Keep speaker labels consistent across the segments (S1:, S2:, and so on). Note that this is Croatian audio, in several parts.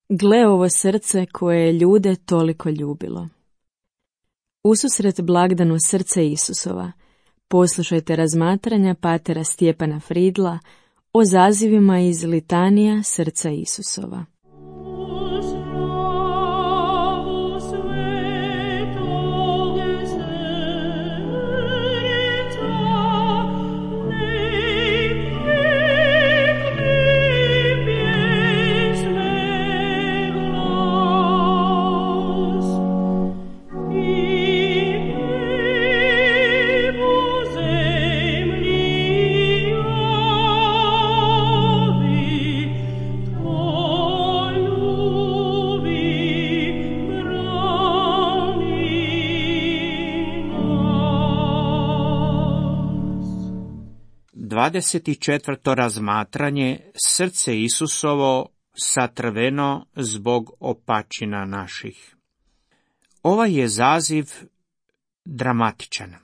S1: Gle ovo srce koje je ljude toliko ljubilo. Ususret blagdanu srce Isusova, poslušajte razmatranja patera Stjepana Fridla o zazivima iz litanija srca Isusova.
S2: Dvadeset četvrto razmatranje, srce Isusovo satrveno zbog opačina naših. Ovaj je zaziv dramatičan.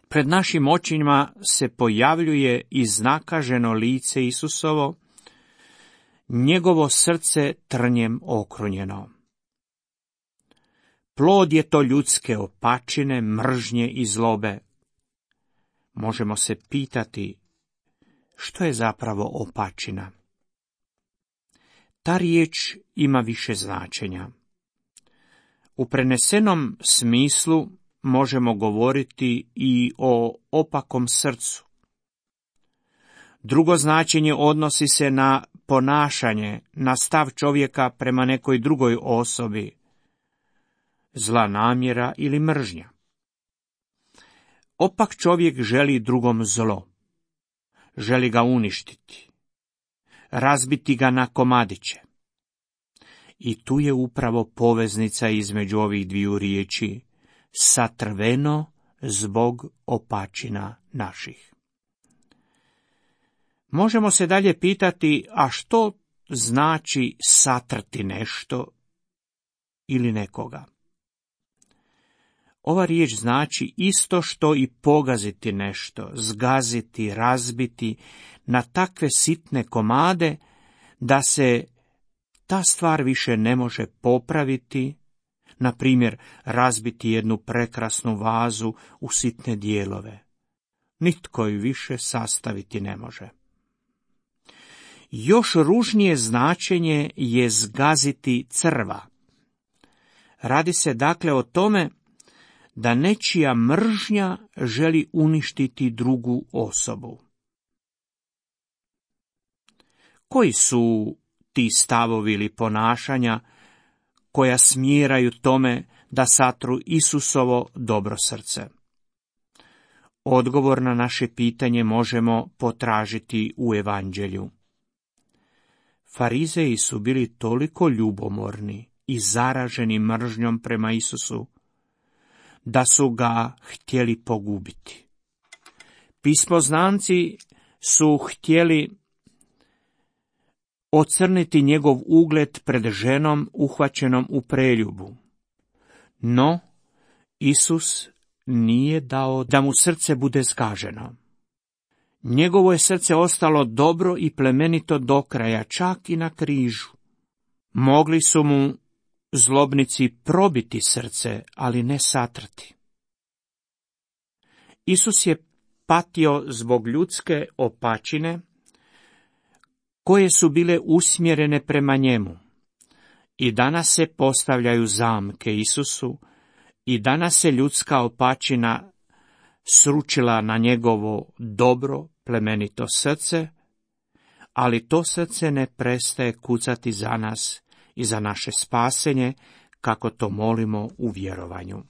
S2: Pred našim očima se pojavljuje iznakaženo lice Isusovo, njegovo srce trnjem okrunjeno. Plod je to ljudske opačine, mržnje i zlobe. Možemo se pitati što je zapravo opačina. Ta riječ ima više značenja. U prenesenom smislu možemo govoriti i o opakom srcu. Drugo značenje odnosi se na ponašanje, na stav čovjeka prema nekoj drugoj osobi, zla namjera ili mržnja. Opak čovjek želi drugom zlo, želi ga uništiti, razbiti ga na komadiće. I tu je upravo poveznica između ovih dviju riječi, satrveno zbog opačina naših. Možemo se dalje pitati, a što znači satrti nešto ili nekoga? Ova riječ znači isto što i pogaziti nešto, zgaziti, razbiti na takve sitne komade da se ta stvar više ne može popraviti, na primjer razbiti jednu prekrasnu vazu u sitne dijelove. Nitko ju više sastaviti ne može. Još ružnije značenje je zgaziti crva. Radi se dakle o tome da nečija mržnja želi uništiti drugu osobu. Koji su ti stavovi ili ponašanja koja smjeraju tome da satru Isusovo dobro srce? Odgovor na naše pitanje možemo potražiti u Evanđelju. Farizeji su bili toliko ljubomorni i zaraženi mržnjom prema Isusu, da su ga htjeli pogubiti. Pismoznanci su htjeli ocrniti njegov ugled pred ženom uhvaćenom u preljubu. No, Isus nije dao da mu srce bude zgaženo. Njegovo je srce ostalo dobro i plemenito do kraja, čak i na križu. Mogli su mu zlobnici probiti srce, ali ne satrati. Isus je patio zbog ljudske opačine koje su bile usmjerene prema njemu. I danas se postavljaju zamke Isusu, i danas se ljudska opačina sručila na njegovo dobro, plemenito srce, ali to srce ne prestaje kucati za nas i za naše spasenje, kako to molimo u vjerovanju.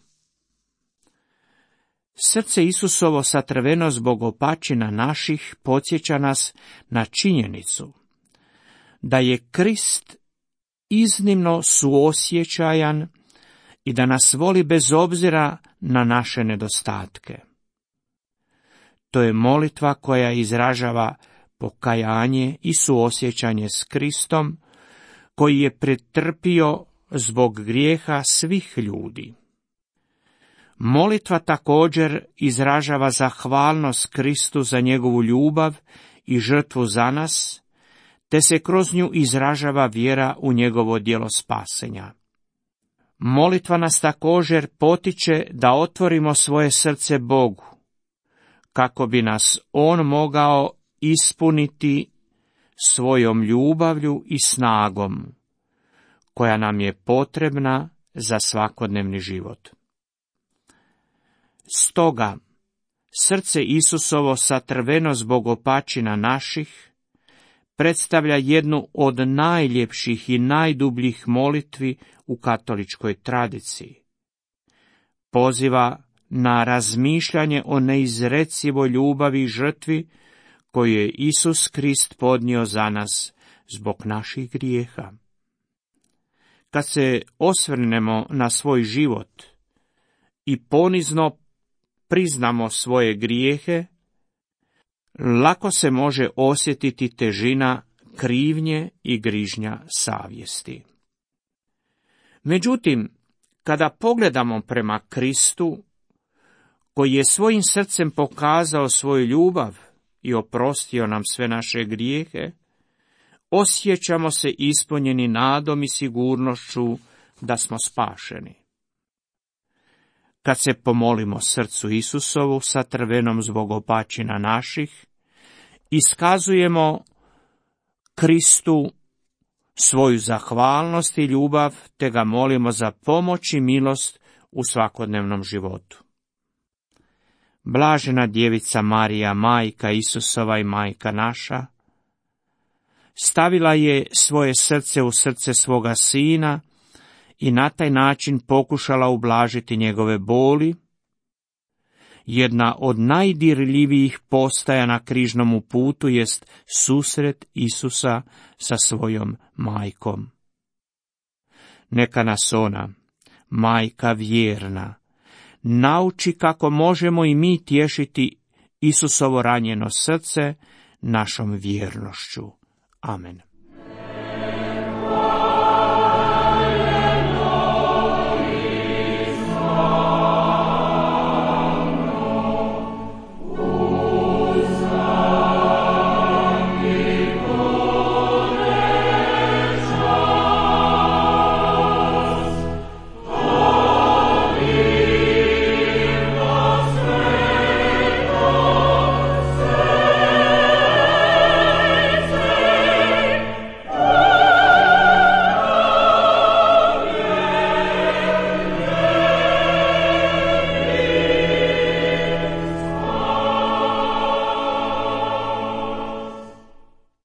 S2: Srce Isusovo satrveno zbog opačina naših podsjeća nas na činjenicu da je Krist iznimno suosjećajan i da nas voli bez obzira na naše nedostatke. To je molitva koja izražava pokajanje i suosjećanje s Kristom, koji je pretrpio zbog grijeha svih ljudi. Molitva također izražava zahvalnost Kristu za njegovu ljubav i žrtvu za nas, te se kroz nju izražava vjera u njegovo djelo spasenja. Molitva nas također potiče da otvorimo svoje srce Bogu, kako bi nas On mogao ispuniti svojom ljubavlju i snagom, koja nam je potrebna za svakodnevni život. Stoga, srce Isusovo satrveno zbog opačina naših predstavlja jednu od najljepših i najdubljih molitvi u katoličkoj tradiciji. Poziva na razmišljanje o neizrecivoj ljubavi i žrtvi koju je Isus Krist podnio za nas zbog naših grijeha. Kad se osvrnemo na svoj život i ponizno priznamo svoje grijehe, lako se može osjetiti težina krivnje i grižnja savjesti. Međutim, kada pogledamo prema Kristu, koji je svojim srcem pokazao svoju ljubav i oprostio nam sve naše grijehe, osjećamo se ispunjeni nadom i sigurnošću da smo spašeni. Kad se pomolimo srcu Isusovu satrvenom zbog opačina naših, iskazujemo Kristu svoju zahvalnost i ljubav, te ga molimo za pomoć i milost u svakodnevnom životu. Blažena djevica Marija, majka Isusova i majka naša, stavila je svoje srce u srce svoga sina i na taj način pokušala ublažiti njegove boli. Jedna od najdirljivijih postaja na križnom putu jest susret Isusa sa svojom majkom. Neka nas ona, majka vjerna, nauči kako možemo i mi tješiti Isusovo ranjeno srce našom vjernošću. Amen.